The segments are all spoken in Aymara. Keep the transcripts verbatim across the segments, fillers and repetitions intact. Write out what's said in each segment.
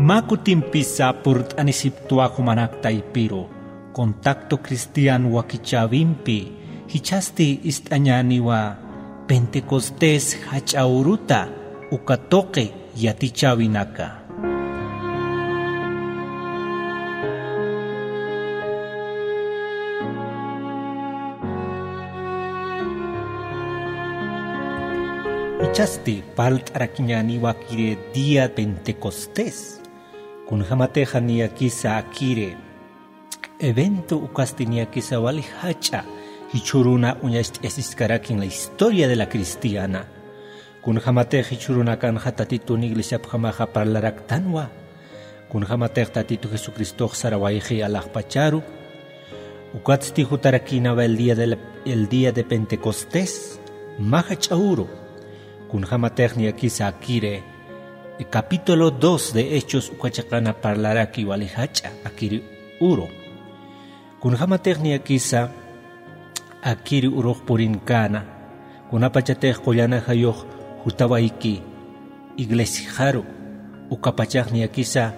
Mä kutimpisa purt'anisiptwa jumanak taypiru, Contacto Cristiano wakichäwimpi, jichhasti ist'añäniwa Pentecostés jach'a uruta uka tuqi yatichäwinaka. Jichhasti parlt'arakiñäniwa akiri día Pentecostés. Kunjamatixa niyakisa akiri evento ukasti niyakisa wali jach'a jichhüruna uñacht'ayasiskarakin la historia de la cristiana. Kunjamatix jichhürunakanxa Tatitun iglesiapjamaxa parlaraktanwa. Kunjamatix Tatitu Jesucristox sarawayxi alaxpacharu. Ukatsti jutarakïnawa el día de la, el día de Pentecostés, mä jach'a uru. Kunjamatix niyakisa akiri, eh, capítulo dos de Hechos uka chiqana parlaraki wali jach'a akiri uru. Kunjamatix niyakisa akiri urux purinkäna, kunapachatix qullan ajayux jutawayki iglesiaru, ukapachax niyakisa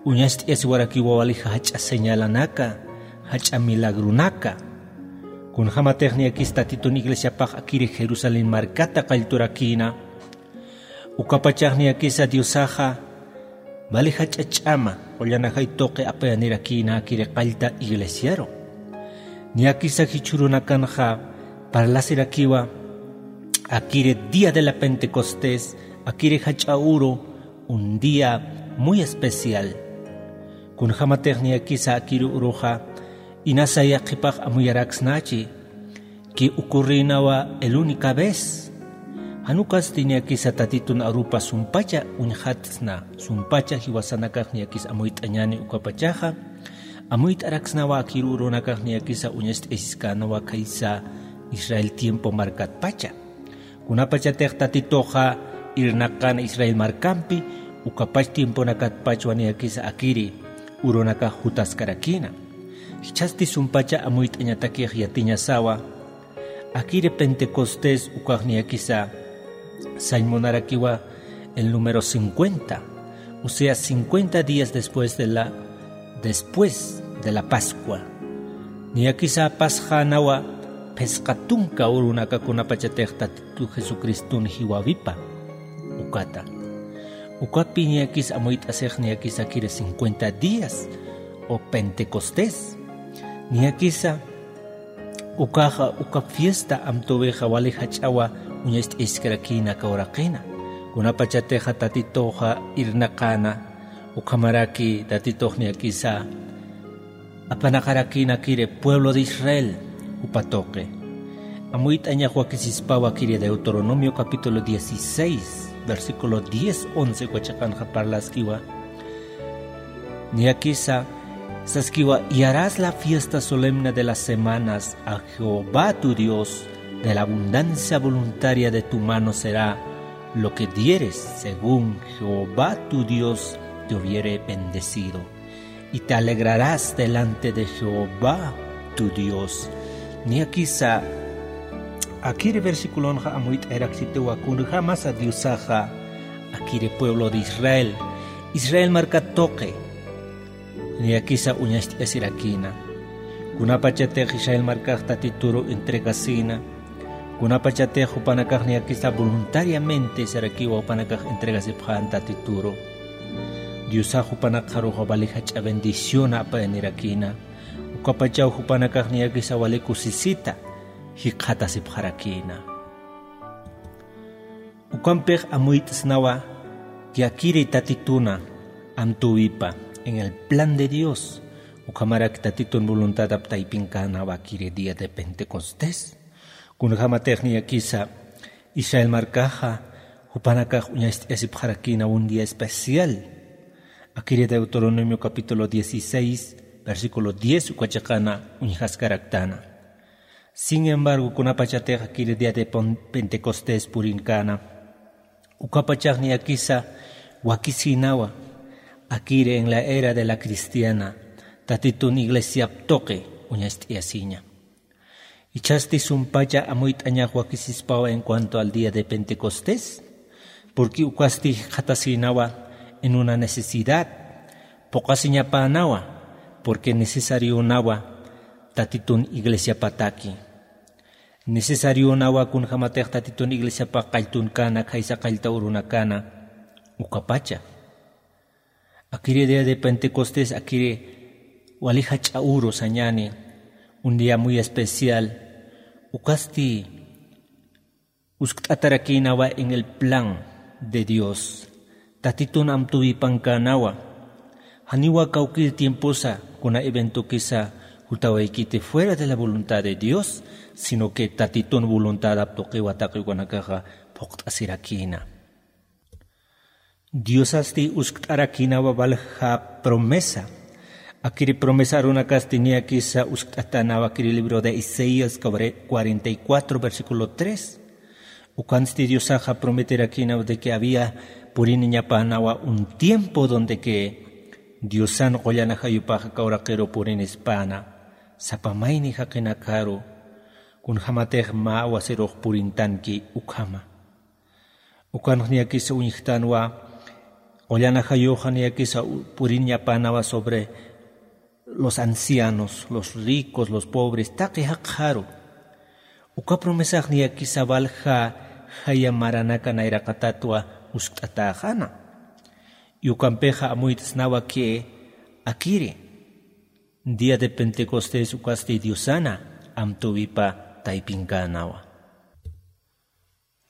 uñacht'ayasiwarakiwa wali jach'a señalanaka, jach'a milagronaka. Kunjamatix niyakisa Tatitun iglesiapax akiri Jerusalén markata qallturakïna, ukapachax niyakisa Diosaxa wali jach'a ch'ama qullan ajay tuqi apayanirakïna akiri qallta iglesiaru. Niyakisa jichhürunakanxa parlasirakiwa akiri día de la Pentecostés, akiri jach'a uru, un día muy especial. Kunjamatix niyakisa akiri uruxa inasa yaqhipax amuyaraksnachi, que ocurrïnawa el única vez. Jan ukasti niyakisa Tatitun arupa sumpacha uñjatsna, sumpacha jiwasanakax niyakisa amuyt'añäni ukapachaxa, amuyt'araksnawa akiri urunakax niyakisa uñacht'ayasiskänawa khaysa Israel tiempo markatpacha. Kunapachatix Tatituxa irnaqan Israel markampi, ukapach tiemponakatpachwa niyakisa akiri urunakax jutaskarakïna. Jichhasti sumpacha amuyt'añatakix yatiñasawa, akiri Pentecostés ukax niyakisa sañ munarakiwa el número cincuenta, o sea, cincuenta días después de la, después de la Pascua. Niyakisa pasxänawa phisqa tunka urunaka kunapachatix Tatitu Jesucristun jiwäwipa ukata. Ukapi niyakisa amuyt'asix niyakisa akiri cincuenta días o Pentecostés. Niyakisa ukaxa, uka fiesta amtuwixa wali jach'awa uñacht'ayaskarakïna aka uraqina. Kunapachatixa Tatituxa irnaqäna, ukhamaraki Tatitux niyakisa apanaqarakïna akiri pueblo de Israel jupa tuqi. Amuyt'añax wakisispawa akiri Deuteronomio capítulo dieciséis, versículo diez, once uka chiqanxa parlaskiwa. Niyakisa saskiwa: "Y harás la fiesta solemne de las semanas a Jehová tu Dios, de la abundancia voluntaria de tu mano será lo que dieres, según Jehová tu Dios te hubiere bendecido. Y te alegrarás delante de Jehová tu Dios". Niyakisa akiri versiculonxa amuyt'ayaraksitiwa kunjämasa Diosaxa akiri pueblo de Israel, Israel markat tuqi niyakisa uñacht'ayasirakïna. Kunapachatix Israel markax Tatituru entregasïna, kunapachatix jupanakax niyakisa voluntariamente sarakiwa jupanakax entregasipxän Tatituru, Diosax jupanakxaruxa wali jach'a bendición apayanirakïna. Ukapachaw jupanakax niyakisa wali kusisita jikxatasipxarakïna. Ukampix amuyt'snawa que akiri Tatituna amtuwipa, en el plan de Dios, ukhamaraki Tatitun voluntadap taypinkänwa akiri día de Pentecostés. Kunjämatix niyakisa Israel markaxa jupanakax uñacht'ayasipxarakïna un día especial. Akiri Deuteronomio capítulo dieciséis, versículo diez uka chiqana uñjaskaraktana. Sin embargo, kunapachatix akiri día de Pon-, Pentecostés purinkana, ukapachax niyakisa wakisïnawa akiri en la era de la cristiana, Tatitun iglesiap tuqi uñacht'ayasiña. Jichhasti sumpacha amuyt'añax wakisispawa en cuanto al día de Pentecostés, porque ukasti jikxatasïnawa en una necesidad, phuqasiñapänawa, porque necesarionawa tatitun iglesiapataki. Necesarionawa kunjämatix tatitun iglesiapax qalltunkana, khaysa qallta urunakana ukapacha. Akiri día de Pentecostés, akiri wali jach'a uru sañani, un día muy especial, ukasti uskt'atarakïnawa en el plan de Dios. Tatitun amtuwipankänawa. Janiwa kawkïr tiemposa kuna eventokisa jutawaykiti fuera de la voluntad de Dios, sino que tatitun voluntadap tuqiwa taqi ukanakaxa phuqt'asirakïna. Diosasti uskt'arakïnawa walja promesa. Akiri promesa arunakasti niyakisa uskt'atänawa akiri libro de Isaías cuarenta y cuatro, versículo tres. Ukansti Diosaxa prometerakïnawa de que había puriniñapänawa un tiempo donde que Diosan qullan ajayupax aka uraqiru purinispäna, sapa mayni jaqinakaru, kunjämatix mä wasirux purintanki ukhama. Ukanx niyakisa uñjtanwa, qullan ajayuxa niyakisa u-, puriñapänawa sobre los ancianos, los ricos, los pobres, taqi jaqxaru. Uka promesax niyakisa walja jaya maranaka nayraqatatwa uskt'atäxana. Y ukampixa amuyt'snawa que akiri, día de Pentecostés ukasti Diosana amtuwipa taypinkänawa.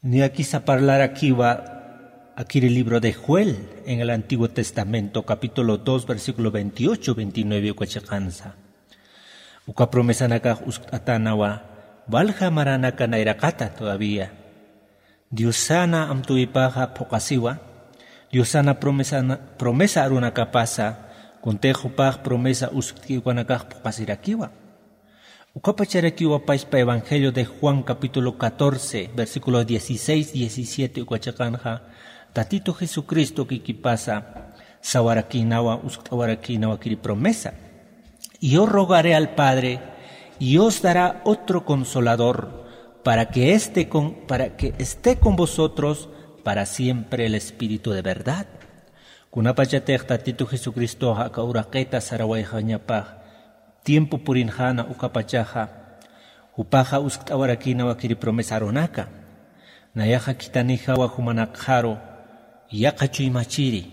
Niyakisa parlarakiwa akiri libro de Joel en el Antiguo Testamento, capítulo dos, versículo veintiocho, veintinueve uka chiqansa. Uka promesanakax uskt'atänawa, walja maranaka nayraqata todavía. Diosana amtuwipaxa phuqasiwa, Diosana promesana-, promesa arunakapasa, kuntix jupax promesa uskt'i ukanakax phuqasirakiwa. Ukapacharakiwa paspa Evangelio de Juan capítulo catorce, versículo dieciséis, diecisiete uka chiqanxa, Tatitu Jesucristo kikipasa sawarakïnawa, uskt'awarakïnawa kiri promesa. Yo rogaré al Padre, y os dará otro consolador, para que esté con, para que esté con vosotros para siempre, el Espíritu de verdad. Kunapachatix Tatitu Jesucristoxa aka uraqita sarawayxañapax tiempo purinxäna ukapachaxa, jupaxa uskt'awarakïnawa kiri promesa arunaka. Nayaxa khithanijawa jumanakxaru yaqha chuymachiri.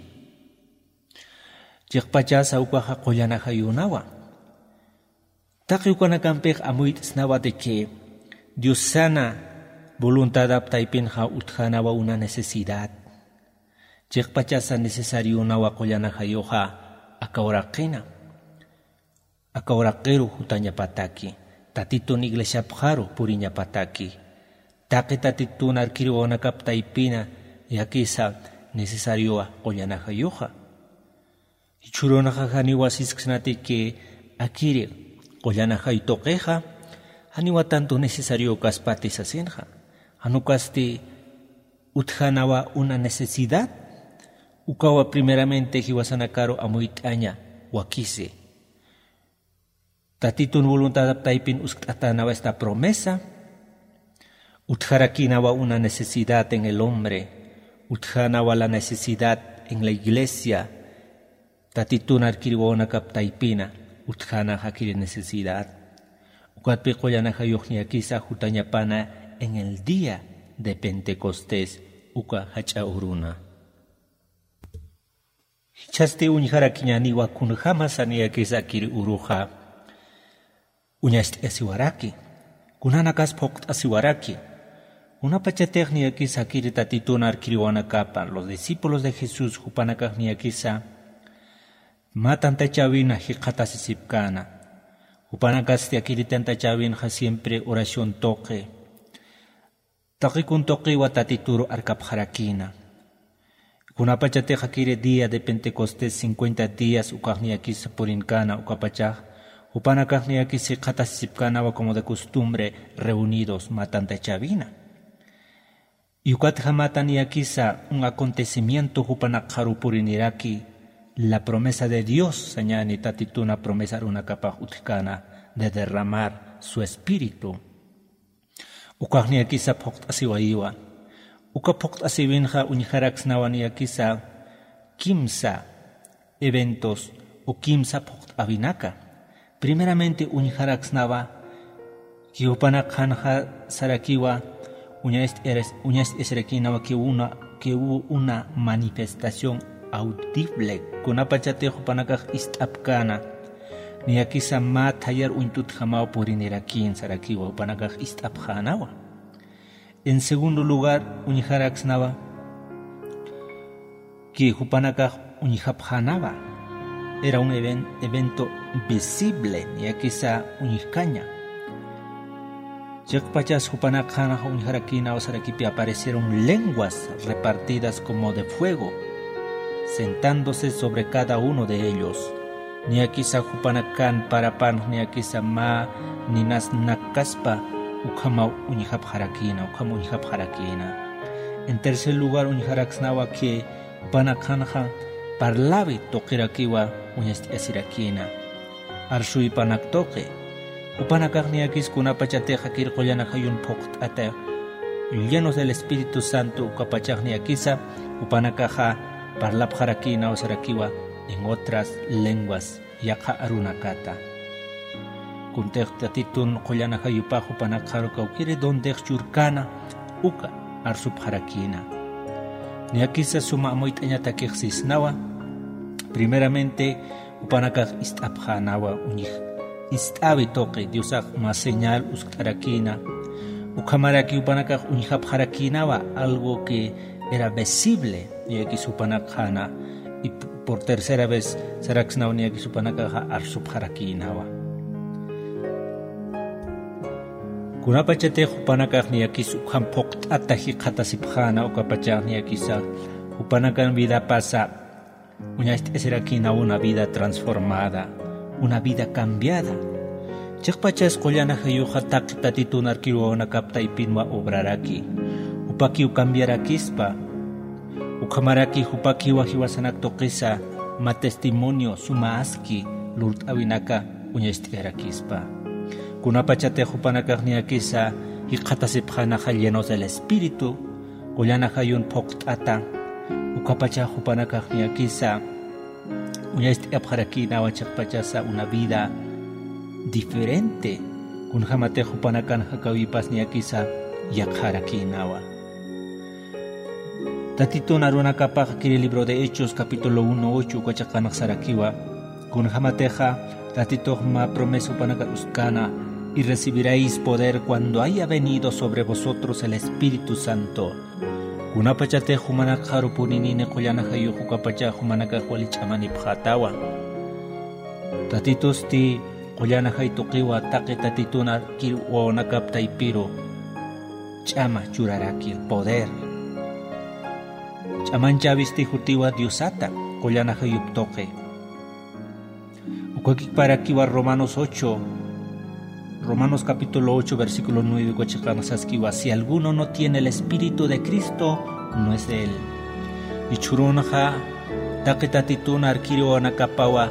Chiqpachasa ukaxa qullan ajayunawa. Taqi ukanakampix amuyt'snawa de que Diosana voluntadap taypinxa utjänawa una necesidad. Chiqpachasa necesarionawa qullan ajayuxa aka uraqina. Aka uraqiru jutañapataki, Tatitun iglesiapxaru puriñapataki. Taqi Tatitun arkiriwanakap taypina niyakisa necesariowa qullan ajayuxa. Jichhürunxa janiwa sisksnati que akiri qullan ajay tuqixa, janiwa tanto necesariokaspa sasinxa. Jan ukasti utjänawa una necesidad, ukawa primeramente jiwasanakaru amuyt'aña wakisi. Tatitun voluntadap taypin uskt'atänawa esta promesa, utjarakïnawa una necesidad en el hombre, utjänawa la necesidad en la iglesia, Tatitun arkiriwanakap taypina, utjäna jakiri necesidad. Ukatpi qullan ajayux niyakisa jutañapana en el día de Pentecostés, uka jach'a uruna. Jichhasti uñjarakiñäniwa kunjämasa niyakisa akiri uruxa uñacht'asiwaraki, kunanakas phuqt'asiwaraki. Kunapachatix niyakisa akiri Tatitun arkiriwanakapa, los discípulos de Jesús jupanakax niyakisa mä tantachäwina jikxatasisipkäna. Jupanakasti akiri tantachäwinxa siempre oración tuqi, taqi kun tuqiwa Tatituru arkapxarakïna. Kunapachatix akiri día de Pentecostés cincuenta días ukax niyakisa purinkäna ukapachax, jupanakax niyakisa jikxatasisipkänawa como de costumbre reunidos mä tantachäwina. Y ukatjamata niyakisa un acontecimiento jupanakxaru puriniraki, la promesa de Dios sañani Tatituna promesa arunakapax utjkäna de derramar su espíritu. Ukax niyakisa phuqt'asiwayiwa. Uka phuqt'asiwinxa uñjaraksnawa niyakisa kimsa eventos o kimsa phuqt'awinaka. Primeramente uñjaraksnawa que jupanakxanxa sarakiwa uñast'ir-, uñast'isirakïnawa que una, que hubo una manifestación audible, kunapachatix jupanakax ist'apkäna, niyakisa mä thayar uñt'utjamaw purinirakïn sarakiwa jupanakax ist'apxänawa. En segundo lugar, uñjaraksnawa que jupanakax uñjapxänawa. Era un even-, evento visible, niyakisa uñjkaña. Chiqpachas jupanakxanxa uñjarakïnawa sarakipï aparecieron lenguas repartidas como de fuego, sentándose sobre cada uno de ellos. Niyakisa jupanakan parapan, niyakisa mä ninas nakkaspa ukhamaw uñjapxarakïna, ukham uñjapxarakïna. En tercer lugar, uñjaraksnawa que jupanakxanxa parlawi tuqirakiwa uñast'asirakïna. Arsuwipanak tuqi. Jupanakax niyakis kunapachatix akir qullan ajayun phuqt'ata llenos del Espíritu Santo ukapachax niyakisa jupanakaxa parlapxarakïnaw sarakiwa en otras lenguas yaqha arunakata. Kuntix Tatitun qullan ajayupax jupanakxaru kawkïri dondix churkäna uka arsupxarakïna. Niyakisa suma amuyt'añatakix sisnawa. Primeramente, jupanakax ist'apxänawa uñj-, ist'äwi tuqi Diosax mä señal uskt'arakïna. Ukhamaraki jupanakax uñjapxarakïnawa algo que era visible, niyakis jupanakxana. Y p-, por tercera vez saraksnawa niyakis jupanakaxa arsupxarakïnawa. Kunapachatix jupanakax niyakis ukham phuqt'ata jikxatasipxäna ukapachax niyakisa jupanakan vidapasa uñast'asirakïna una vida transformada, una vida cambiada. Chiqpachas qullan ajayuxa taqi Tatitun arkiruwanakap taypinwa obraraki. Jupakiw cambiarakispa. Ukhamaraki jupakiwa jiwasanak tuqisa mä testimonio suma aski lurt'äwinaka uñast'ayarakispa. Kunapachatix jupanakax niyakisa jikxatasipxänaxa llenos del Espíritu, qullan ajayun phuqt'ata, ukapachax jupanakax niyakisa uñast'apxarakïnawa chiqpachasa una vida diferente, kunjämatix jupanakan jakäwipas niyakisa yaqharakïnawa. Tatitun arunakapax kiri libro de Hechos capítulo uno ocho uka chiqanx sarakiwa, kunjämatixa Tatitux mä promesa jupanakar uskkäna, y recibiréis poder cuando haya venido sobre vosotros el Espíritu Santo. Kunapachatix jumanakxaru purinini qullan ajayux ukapachax jumanakax wali ch'amanipxätawa. Tatitusti qullan ajay tuqiwa taqi Tatitun arkir wawanakap taypiru ch'ama churaraki, poder. Ch'amanchäwisti jutiwa Diosata qullan ajayup tuqi. Ukakiparakiwa Romanos ocho, Romanos capítulo ocho, versículo nueve, uka chiqanx saskiwa: "Si alguno no tiene el Espíritu de Cristo, no es de él". Jichhürunxa taqi Tatitun arkir wawanakapawa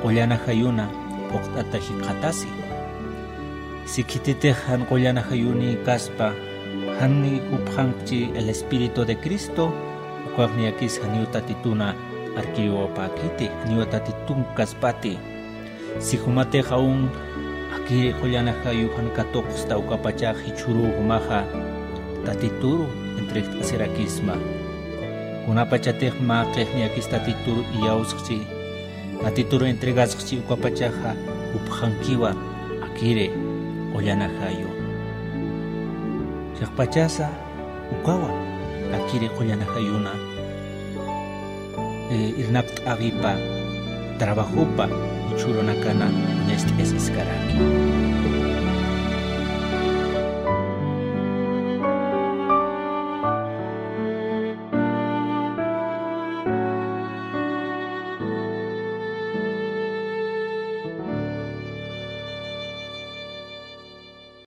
qullan ajayuna phuqt'ata jikxatasi. Si khititix jan qullan ajayuni kaspa, jani jupxankchi el Espíritu de Cristo, ukax niyakis janiw Tatituna arkir wawapäkiti, janiw Tatitun kaspati. Si jumatix aún akiri qullan ajayu jan katuqsta, ukapachax jichhüruw jumaxa Tatituru entregt'asirakisma. Kunapachatix mä qix niyakis Tatituru iyawskchi, Tatituru entregaskchi, ukapachaxa jupxankiwa akiri qullan ajayu. Chiqpachasa ukawa akiri qullan ajayuna, eh, irnaqt'äwipa trabajopa jichhürunakana uñast'ayasiskaraki.